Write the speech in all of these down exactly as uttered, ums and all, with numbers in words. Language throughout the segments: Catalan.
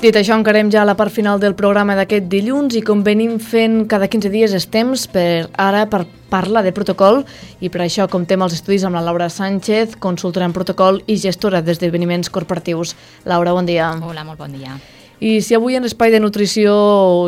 Dit això, encarem ja la part final del programa d'aquest dilluns i com venim fent cada quinze dies és temps per ara per parlar de protocol i per això comptem els estudis amb la Laura Sánchez, consultora en protocol i gestora d'esdeveniments corporatius. Laura, bon dia. Hola, molt bon dia. I si avui en l'espai de nutrició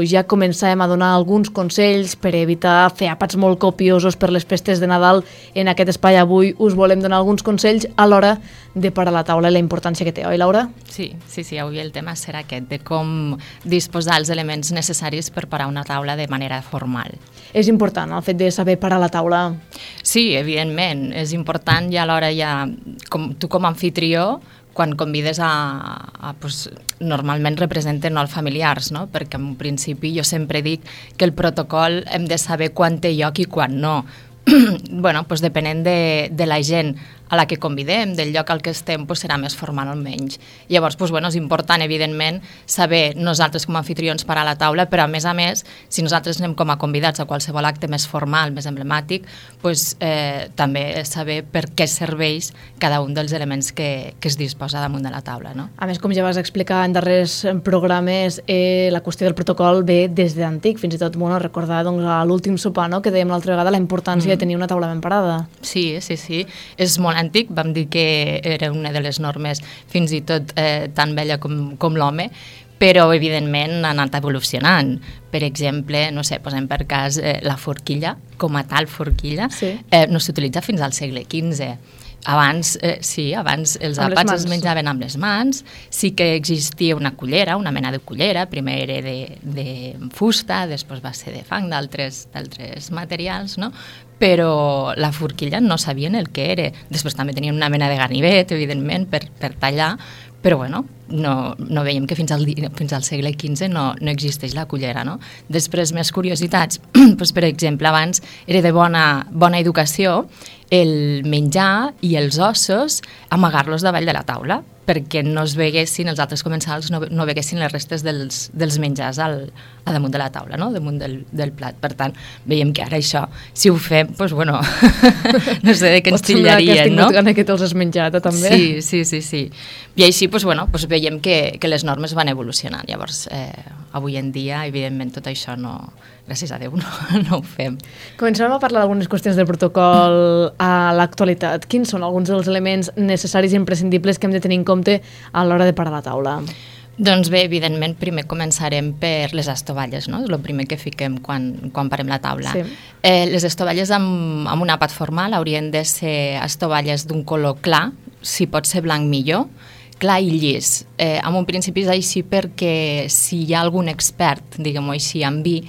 ja començàvem a donar alguns consells per evitar fer àpats molt copiosos per les festes de Nadal, en aquest espai avui us volem donar alguns consells a l'hora de parar la taula i la importància que té, oi Laura? Sí, sí, sí, avui el tema serà aquest, de com disposar els elements necessaris per parar una taula de manera formal. És important el fet de saber parar la taula? Sí, evidentment, és important i alhora ja, com, tu com a anfitrió, quan convides a, a pues, normalment representen els familiars, no? Perquè en principi jo sempre dic que el protocol hem de saber quan té lloc i quan no. bueno, pues depenent de, de la gent a la que convidem, del lloc al que estem, pues serà més formal o menys. Llavors, pues, bueno, és important, evidentment, saber nosaltres com a anfitrions parar la taula, però a més a més, si nosaltres anem com a convidats a qualsevol acte més formal, més emblemàtic, pues, eh, també saber per què serveix cada un dels elements que, que es disposa damunt de la taula. No? A més, com ja vas explicar en darrers programes, eh, la qüestió del protocol ve des d'antic, fins i tot bueno, recordar doncs, a l'últim sopar, no? Que dèiem l'altra vegada la importància mm. de tenir una taula ben parada. Sí, sí, sí. És molt antic, vam dir que era una de les normes fins i tot eh, tan vella com, com l'home, però evidentment ha anat evolucionant. Per exemple, no sé, posem per cas eh, la forquilla, com a tal forquilla, sí. eh, no s'utilitza fins al segle quinze. Abans, eh, sí, abans els amb àpats es menjaven amb les mans, sí que existia una cullera, una mena de cullera, primer era de, de fusta, després va ser de fang, d'altres materials, no? Però la forquilla no sabien el que era. Després també tenien una mena de ganivet, evidentment, per, per tallar, però bueno, no, no veiem que fins al, fins al segle quinze no, no existeix la cullera, no? Després, més curiositats, doncs, per exemple, abans era de bona, bona educació el menjar i els ossos amagar-los davall de la taula, perquè no es veguessin, els altres comensals no, no veguessin les restes dels, dels menjars al, a damunt de la taula, no? Damunt del, del plat. Per tant, veiem que ara això, si ho fem, doncs bueno, no sé de què ens tillarien, no? Pot semblar que has tingut gana que te'ls has menjat, també. Sí, sí, sí, sí. I així, doncs bueno, doncs veiem que, que les normes van evolucionant. Llavors, eh, avui en dia, evidentment, tot això no, gràcies a Déu, no, no ho fem. Comencem a parlar d'algunes qüestions del protocol a l'actualitat. Quins són alguns dels elements necessaris i imprescindibles que hem de tenir en compte a l'hora de parar la taula? Doncs bé, evidentment, primer començarem per les estovalles, no? És el primer que fiquem quan, quan parem la taula. Sí. Eh, les estovalles amb, amb un àpat formal haurien de ser estovalles d'un color clar, si pot ser blanc millor, clar i llis. Eh, en un principi és així perquè si hi ha algun expert, diguem-ho així, en vi,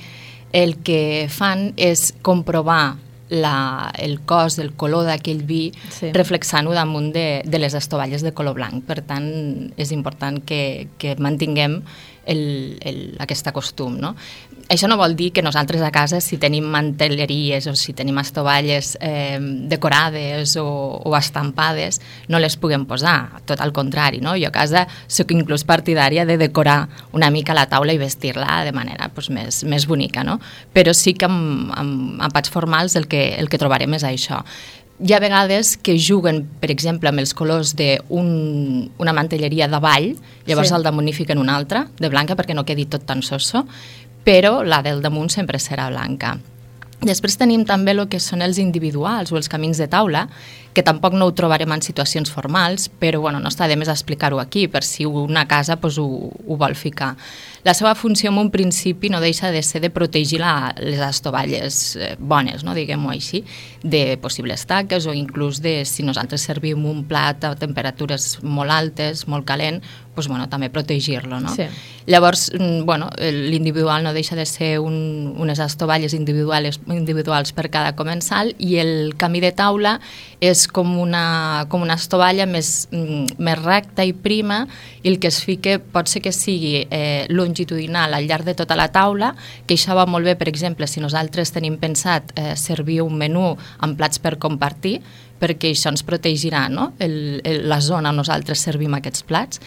el que fan és comprovar la, el cos, el color d'aquell vi, sí. reflexant-ho damunt de, de les estovalles de color blanc. Per tant, és important que, que mantinguem el, el, aquest costum, no? Això no vol dir que nosaltres a casa, si tenim mantelleries o si tenim estovalles eh, decorades o, o estampades, no les puguem posar, tot al contrari, no? Jo a casa soc inclús partidària de decorar una mica la taula i vestir-la de manera pues, més, més bonica, no? Però sí que amb, amb àpats formals el que, el que trobarem és això. Hi ha vegades que juguen, per exemple, amb els colors d'una mantelleria de ball, llavors sí. al damunt hi fiquen una altra, de blanca, perquè no quedi tot tan soso, però la del damunt sempre serà blanca. Després tenim també el que són els individuals o els camins de taula, que tampoc no ho trobarem en situacions formals, però bueno, no està de més explicar-ho aquí, per si una casa pues, ho, ho vol ficar. La seva funció en un principi no deixa de ser de protegir la, les estovalles bones, no? Diguem-ho així, de possibles taques o inclús de si nosaltres servim un plat a temperatures molt altes, molt calent, pues, bueno, també protegir-lo, no? Sí. Llavors, bueno, l'individual no deixa de ser un, unes estovalles individuals, individuals per cada comensal i el camí de taula és com una, com una estovalla més, més recta i prima i el que es fica pot ser que sigui eh, longitudinal al llarg de tota la taula, que això va molt bé, per exemple, si nosaltres tenim pensat eh, servir un menú amb plats per compartir, perquè això ens protegirà, no? el, el, la zona on nosaltres servim aquests plats.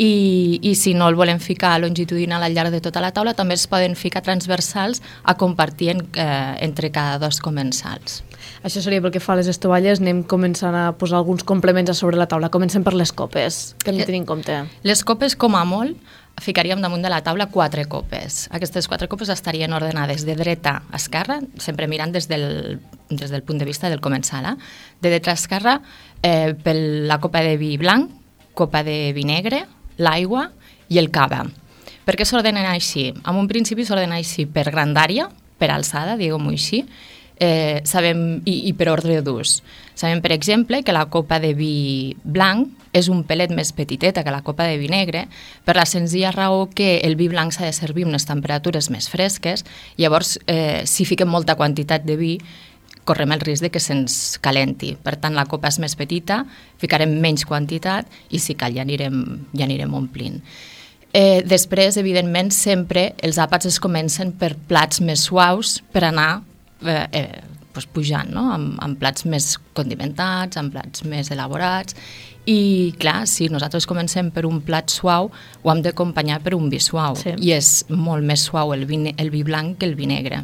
I, i si no el volem ficar longitudinal al llarg de tota la taula, també es poden ficar transversals a compartir en, eh, entre cada dos comensals. Això seria pel que fa a les estovalles, anem començant a posar alguns complements a sobre la taula. Comencem per les copes, que hem de tenir en compte. Les copes, com a molt, ficaríem damunt de la taula quatre copes. Aquestes quatre copes estarien ordenades de dreta a esquerra, sempre mirant des del, des del punt de vista del comensal. Eh? De dreta a esquerra, eh, per la copa de vi blanc, copa de vi negre, l'aigua i el cava. Per què s'ordenen així? En un principi s'ordena així per grandària, per alçada, diguem-ho així, eh, sabem, i, i per ordre d'ús. Sabem, per exemple, que la copa de vi blanc és un pelet més petiteta que la copa de vi negre, per la senzilla raó que el vi blanc s'ha de servir a unes temperatures més fresques, llavors, eh, si fiquem molta quantitat de vi, correm el risc de que se'ns calenti. Per tant, la copa és més petita, ficarem menys quantitat i si cal ja anirem, ja anirem omplint. Eh, després, evidentment, sempre els àpats es comencen per plats més suaus per anar eh, eh, pues, pujant, no? amb, amb plats més condimentats, amb plats més elaborats. I, clar, si nosaltres comencem per un plat suau, ho hem d'acompanyar per un vi suau. Sí. I és molt més suau el vi, el vi blanc que el vi negre.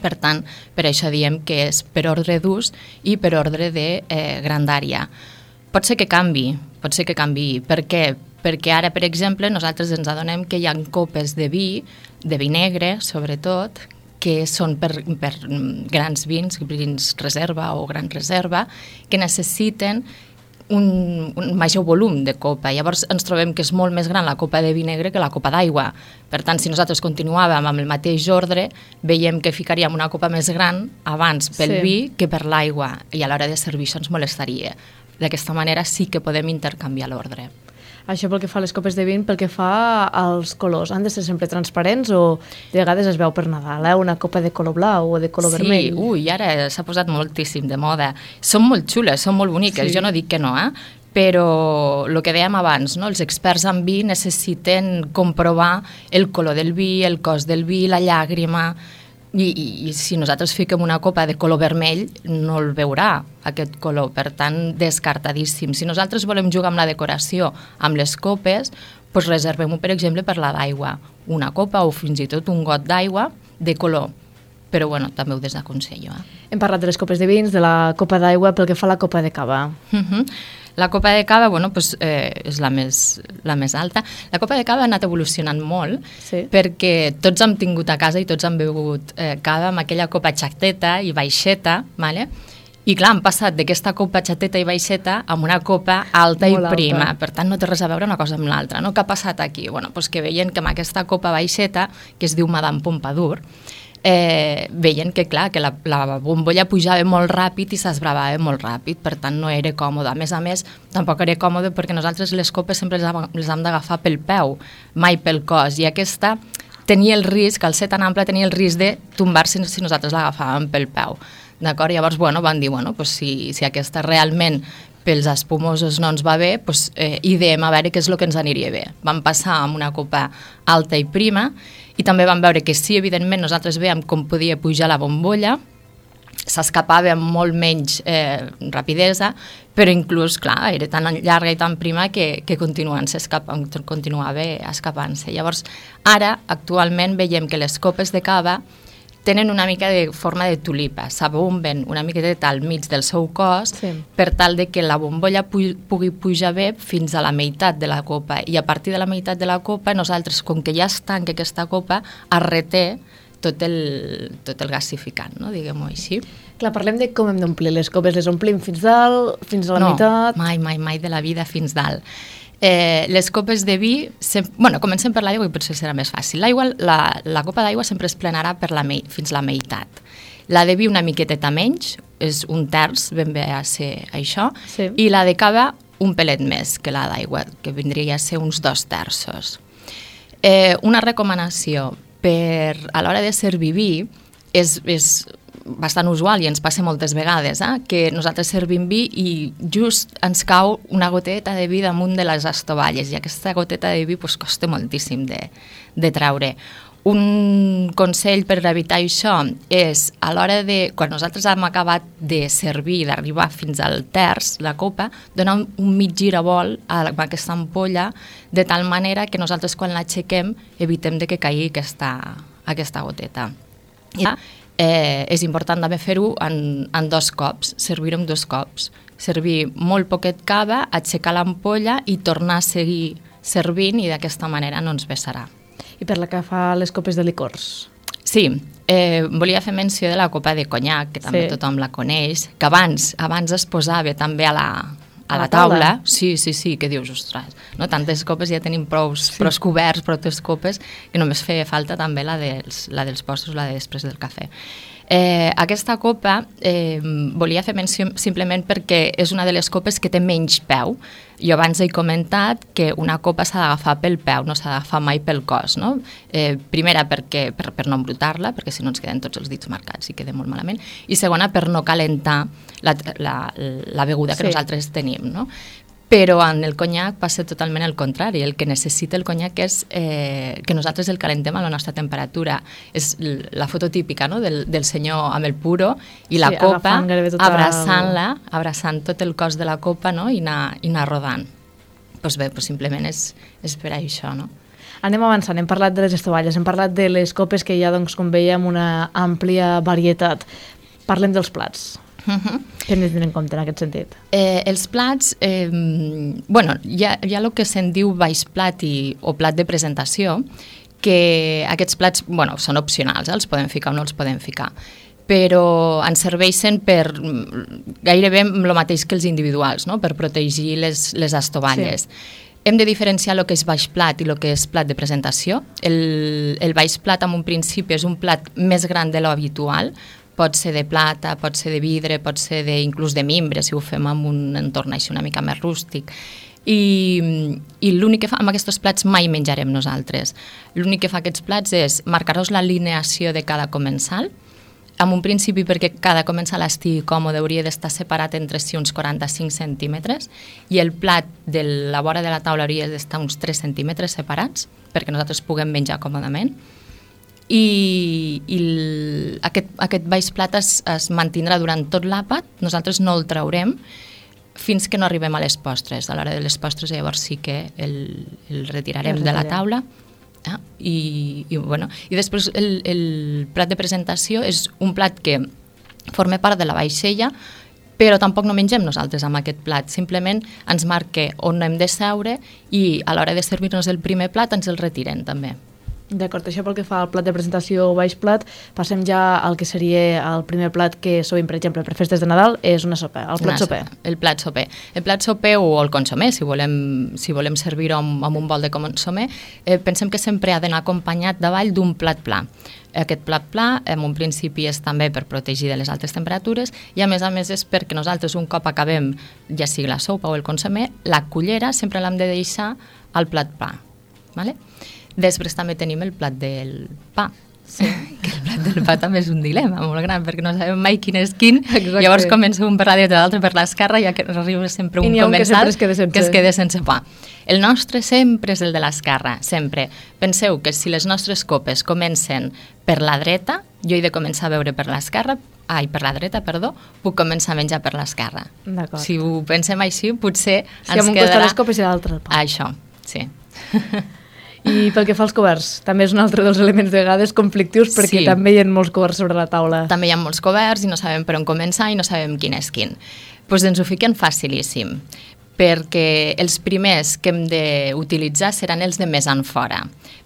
Per tant, per això diem que és per ordre d'ús i per ordre de eh, grandària. Pot ser que canvi, pot ser que canvi. Per què? Perquè ara, per exemple, nosaltres ens adonem que hi ha copes de vi, de vi negre, sobretot, que són per, per grans vins, vins reserva o gran reserva, que necessiten un, un major volum de copa. Llavors ens trobem que és molt més gran la copa de vi negre que la copa d'aigua. Per tant, si nosaltres continuàvem amb el mateix ordre, veiem que ficaríem una copa més gran abans pel sí. vi que per l'aigua, i a l'hora de servir això ens molestaria. D'aquesta manera sí que podem intercanviar l'ordre. Això pel que fa a les copes de vi, pel que fa als colors, han de ser sempre transparents o de vegades es veu per Nadal, eh? Una copa de color blau o de color sí, vermell? Sí, ui, ara s'ha posat moltíssim de moda. Són molt xules, són molt boniques, sí. Jo no dic que no, eh? Però el que dèiem abans, no? Els experts en vi necessiten comprovar el color del vi, el cos del vi, la llàgrima, i, i, i si nosaltres fiquem una copa de color vermell no el veurà aquest color, per tant descartadíssim. Si nosaltres volem jugar amb la decoració amb les copes, doncs reservem-ho per exemple per la d'aigua, una copa o fins i tot un got d'aigua de color, però bueno, també ho desaconsello. Eh? Hem parlat de les copes de vins, de la copa d'aigua, pel que fa a la copa de cava. Uh-huh. La copa de cava, bueno, pues, eh, és la més, la més alta. La copa de cava ha anat evolucionant molt, sí. Perquè tots hem tingut a casa i tots hem begut eh, cava amb aquella copa xateta i baixeta, vale? I clar, han passat d'aquesta copa xateta i baixeta amb una copa alta molt i prima, alta. Per tant no té res a veure una cosa amb l'altra, no? Què ha passat aquí? Bueno, pues que veien que amb aquesta copa baixeta, que es diu Madame Pompadour, Eh, veien que, clar, que la, la bombolla pujava molt ràpid i s'esbravava molt ràpid, per tant no era còmode. A més a més, tampoc era còmode perquè nosaltres les copes sempre les, les hem d'agafar pel peu, mai pel cos, i aquesta tenia el risc, al ser tan ample, tenia el risc de tombar-se si nosaltres l'agafàvem pel peu. D'acord? Llavors, bueno, van dir, bueno, pues si, si aquesta realment pels espumosos no ens va bé, pues, eh, ideem a veure què és el que ens aniria bé. Vam passar amb una copa alta i prima, i també vam veure que sí, evidentment, nosaltres veiem com podia pujar la bombolla, s'escapava amb molt menys eh, rapidesa, però inclús, clar, era tan llarga i tan prima que, que continuant s'escapant, continuava escapant-se. Llavors, ara, actualment, veiem que les copes de cava tenen una mica de forma de tulipa, s'abomben una miqueta al mig del seu cos, sí. Per tal de que la bombolla pu- pugui pujar bé fins a la meitat de la copa, i a partir de la meitat de la copa nosaltres, com que ja es tanca aquesta copa, es reté tot el, tot el gasificant, no? Diguem-ho així. Clar, parlem de com hem d'omplir les copes, les omplim fins dalt, fins a la no, meitat? No, mai, mai, mai de la vida fins dalt. Eh, les copes de vi, sem- bueno, comencem per l'aigua i potser serà més fàcil. L'aigua, la, la copa d'aigua sempre es plenarà per la me- fins la meitat. La de vi una miqueteta menys, és un terç, ben bé a ser això, sí. I la de cava un pelet més que la d'aigua, que vindria a ser uns dos terços. Eh, una recomanació per a l'hora de servir vi és, és bastant usual i ens passa moltes vegades, eh? Que nosaltres servim vi i just ens cau una goteta de vi damunt de les estovalles i aquesta goteta de vi pues, costa moltíssim de, de treure. Un consell per evitar això és a l'hora de, quan nosaltres hem acabat de servir, d'arribar fins al terç, la copa, donar un, un mig giravol a aquesta ampolla de tal manera que nosaltres quan l'aixequem evitem de que caigui aquesta, aquesta goteta. I Eh, és important també fer-ho en, en dos cops, servir-ho en dos cops. Servir molt poquet cava, aixecar l'ampolla i tornar a seguir servint i d'aquesta manera no ens vessarà. I per la que fa les copes de licors? Sí, eh, volia fer menció de la copa de conyac, que també sí. tothom la coneix, que abans abans es posava també a la, a la taula. taula. Sí, sí, sí, que dius, ostres, no? Tantes copes ja tenim prou sí. coberts, prou copes, que només feia falta també la dels, la dels postres, la de després del cafè. Eh, aquesta copa eh, volia fer menció simplement perquè és una de les copes que té menys peu. Jo abans he comentat que una copa s'ha d'agafar pel peu, no s'ha d'agafar mai pel cos, no? Eh, primera, perquè, per, per no embrutar-la, perquè si no ens queden tots els dits marcats i queda molt malament, i segona, per no calentar la, la, la beguda que sí. nosaltres tenim, no? Però en el conyac passa totalment el contrari. El que necessita el conyac és eh, que nosaltres el calentem a la nostra temperatura. És la foto típica, no? del, del senyor amb el puro i la sí, copa, abraçant-la, el... abraçant tot el cos de la copa, no? I anar, i anar rodant. Doncs bé, doncs simplement és, és per això, no? Anem avançant, hem parlat de les estovalles, hem parlat de les copes que hi ha, doncs, com veiem, una àmplia varietat. Parlem dels plats. Uh-huh. Què hem de tenir en compte en aquest sentit? Eh, els plats, eh, bueno, hi ha, hi ha el que se'n diu baix plat i, o plat de presentació, que aquests plats, bueno, són opcionals, eh? Els podem ficar o no els podem ficar, però ens serveixen per gairebé el mateix que els individuals, no? Per protegir les, les estovalles. Sí. Hem de diferenciar el que és baix plat i el que és plat de presentació. El, el baix plat, en un principi, és un plat més gran de lo habitual. Pot ser de plata, pot ser de vidre, pot ser de, inclús de mimbre, si ho fem en un entorn així una mica més rústic. I, i l'únic que fa amb aquests plats mai menjarem nosaltres. L'únic que fa aquests plats és marcar-nos l'alineació de cada comensal. En un principi, perquè cada comensal estigui còmode, hauria d'estar separat entre si uns quaranta-cinc centímetres i el plat de la vora de la taula hauria d'estar uns tres centímetres separats perquè nosaltres puguem menjar còmodament. I, i el, aquest, aquest baix plat es, es mantindrà durant tot l'àpat, nosaltres no el traurem fins que no arribem a les postres. A l'hora de les postres llavors sí que el, el retirarem el de la taula. Ah, i, i, bueno, i després el, el plat de presentació és un plat que forma part de la vaixella, però tampoc no mengem nosaltres amb aquest plat, simplement ens marca on hem de seure i a l'hora de servir-nos el primer plat ens el retiren també. D'acord, això pel que fa al plat de presentació o baix plat, passem ja al que seria el primer plat que sovint, per exemple, per festes de Nadal, és una sopa, el plat soper. El plat soper. El plat soper o el consomé, si volem, si volem servir-ho amb, amb un bol de consomé, eh, pensem que sempre ha d'anar acompanyat davall d'un plat pla. Aquest plat pla, en un principi, és també per protegir de les altes temperatures i, a més a més, és perquè nosaltres, un cop acabem, ja sigui la sopa o el consomé, la cullera sempre l'hem de deixar al plat pla. Vale? Després també tenim el plat del pa. Sí. Que el plat del pa també és un dilema molt gran, perquè no sabem mai quin és quin. Exacte. Llavors comença un per la dreta, l'altre per l'esquerra, i arriba sempre un comensal que, es que es queda sense pa. El nostre sempre és el de l'esquerra, sempre. Penseu que si les nostres copes comencen per la dreta, jo he de començar a beure per l'esquerra, ai, per la dreta, perdó, puc començar a menjar per l'esquerra. Si ho pensem així, potser si ens quedarà... Si amb un costat les copes i l'altre el pa. Això, sí. I pel que fa als coberts, també és un altre dels elements de vegades conflictius perquè sí. També hi ha molts coberts sobre la taula. També hi ha molts coberts i no sabem per on començar i no sabem quin és quin. Doncs pues ens ho fiquen facilíssim, perquè els primers que hem d'utilitzar seran els de més en fora.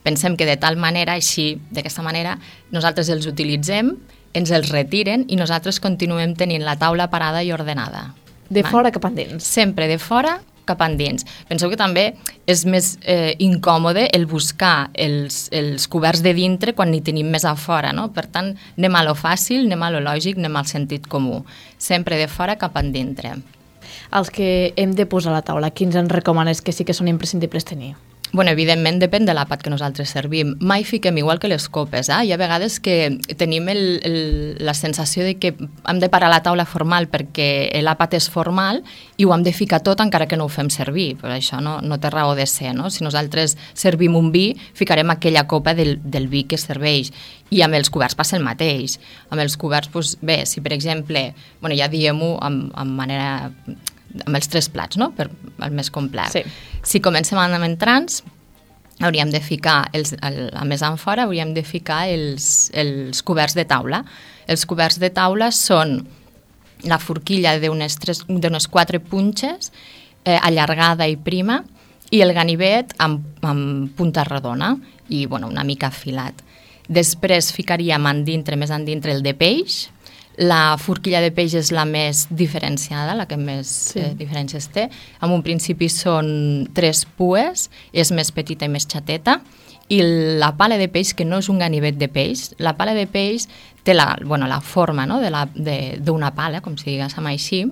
Pensem que de tal manera, així, d'aquesta manera, nosaltres els utilitzem, ens els retiren i nosaltres continuem tenint la taula parada i ordenada. De Va? Fora cap endins. Sempre de fora cap endins. Penseu que també és més eh, incòmode el buscar els, els coberts de dintre quan n'hi tenim més a fora, no? Per tant, anem a lo fàcil, anem a lo lògic, anem al sentit comú. Sempre de fora cap endintre. Els que hem de posar a la taula, quins ens recomanes que sí que són imprescindibles tenir? Bueno, evidentment depèn de l'àpat que nosaltres servim. Mai fiquem igual que les copes. Eh? Hi ha vegades que tenim el, el, la sensació de que hem de parar la taula formal perquè l'àpat és formal i ho hem de ficar tot encara que no ho fem servir. Però això no, no té raó de ser. No? Si nosaltres servim un vi, ficarem aquella copa del, del vi que serveix. I amb els coberts passa el mateix. Amb els coberts, doncs, bé, si per exemple, bueno, ja diem-ho amb, amb manera... amb els tres plats, no? Per el més complet. Sí. Si comencem amb entrants, hauríem de ficar, els, el, a més en fora, hauríem de ficar els, els coberts de taula. Els coberts de taula són la forquilla d'unes, tres, d'unes quatre punxes, eh, allargada i prima, i el ganivet amb, amb punta rodona i bueno, una mica afilat. Després ficaríem en dintre, més en dintre, el de peix. La forquilla de peix és la més diferenciada, la que més sí. eh, diferències té. En un principi són tres pues, és més petita i més xateta, i la pala de peix, que no és un ganivet de peix, la pala de peix té la, bueno, la forma, no?, de la, de, d'una pala, com si diguéssim així,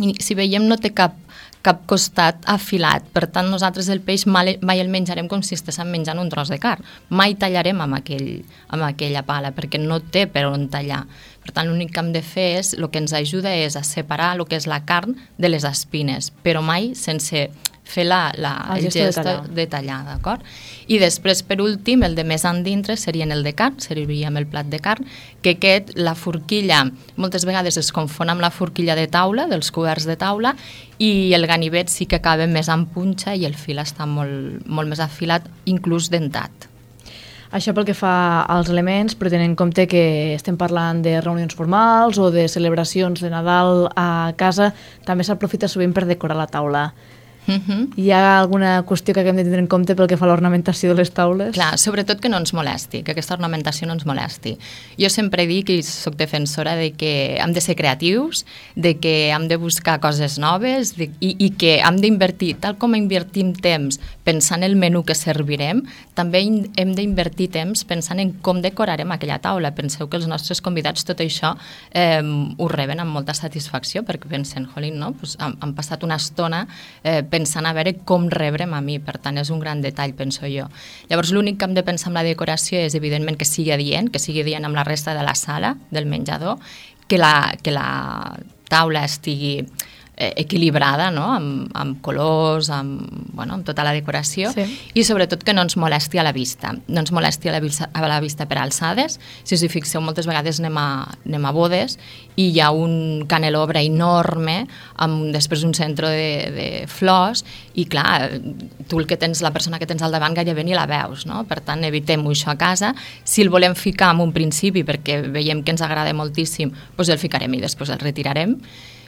i si veiem no té cap cap costat afilat. Per tant, nosaltres el peix mai, mai el menjarem com si estéssim menjant un tros de carn. Mai tallarem amb, aquell, amb aquella pala, perquè no té per on tallar. Per tant, l'únic que hem de fer és, el que ens ajuda és a separar el que és la carn de les espines, però mai sense fer la, la, el, el gest de tallar, de tallar, d'acord? I després, per últim, el de més endintre serien el de carn, serviríem el plat de carn, que aquest, la forquilla, moltes vegades es confon amb la forquilla de taula, dels coberts de taula, i el ganivet sí que acaba més en punxa i el fil està molt, molt més afilat, inclús dentat. Això pel que fa als elements, però tenint en compte que estem parlant de reunions formals o de celebracions de Nadal a casa, també s'aprofita sovint per decorar la taula. Uh-huh. Hi ha alguna qüestió que haguem de tenir en compte pel que fa a l'ornamentació de les taules? Clar, sobretot que no ens molesti, que aquesta ornamentació no ens molesti. Jo sempre dic i soc defensora de que hem de ser creatius, de que hem de buscar coses noves de, i, i que hem d'invertir, tal com invertim temps pensant en el menú que servirem, també hem d'invertir temps pensant en com decorarem aquella taula. Penseu que els nostres convidats tot això eh, ho reben amb molta satisfacció, perquè pensen, jolín, no? Pues han, han passat una estona eh, pensant a veure com rebrem a mi, per tant és un gran detall, penso jo. Llavors l'únic que hem de pensar amb la decoració és evidentment que sigui adient, que sigui adient amb la resta de la sala, del menjador, que la, que la taula estigui eh, equilibrada, no?, amb, amb colors, amb, bueno, amb tota la decoració, sí. I sobretot que no ens molesti a la vista, no ens molesti a la vista, a la vista per alçades. Si us hi fixeu, moltes vegades anem a, anem a bodes i hi ha un canelobre enorme amb després un centre de, de flors i clar, tu el que tens, la persona que tens al davant gairebé ni la veus, no? Per tant, evitem-ho això a casa. Si el volem ficar en un principi perquè veiem que ens agrada moltíssim, doncs el ficarem i després el retirarem.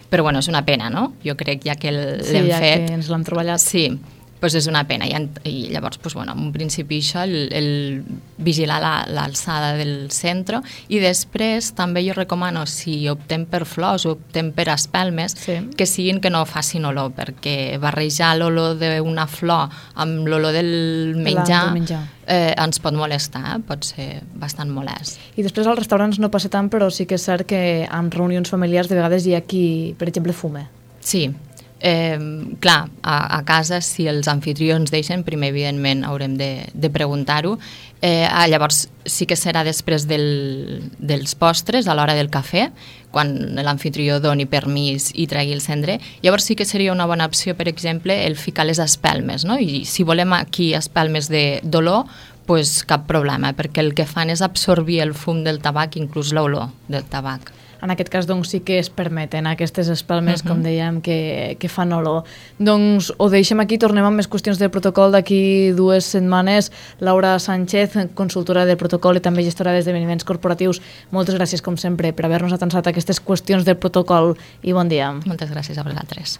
Però bueno, és una pena, no? Jo crec ja que l'hem sí, ja fet... que ens l'hem treballat. Sí, doncs és una pena. I, i llavors, doncs, bueno, en un principi això, el, el vigilar l'alçada la, del centre, i després també jo recomano, si optem per flors o optem per espelmes, sí. Que siguin que no facin olor, perquè barrejar l'olor d'una flor amb l'olor del menjar, del menjar. Eh, ens pot molestar, eh? Pot ser bastant molest. I després als restaurants no passa tant, però sí que és cert que en reunions familiars de vegades hi ha qui, per exemple, fume. Sí. Eh, clar, a, a casa si els anfitrions deixen, primer evidentment haurem de, de preguntar-ho. Eh, llavors sí que serà després del, dels postres, a l'hora del cafè, quan l'anfitrió doni permís i tregui el cendrer. Llavors sí que seria una bona opció, per exemple, el ficar les espelmes, no? I si volem aquí espelmes d'olor, pues cap problema, perquè el que fan és absorbir el fum del tabac, inclús l'olor del tabac. En aquest cas, doncs, sí que es permeten aquestes espelmes, uh-huh. com dèiem, que, que fan olor. Doncs ho deixem aquí, tornem amb més qüestions del protocol d'aquí dues setmanes. Laura Sánchez, consultora del protocol i també gestora d'esdeveniments corporatius, moltes gràcies, com sempre, per haver-nos atensat aquestes qüestions del protocol i bon dia. Moltes gràcies a vosaltres.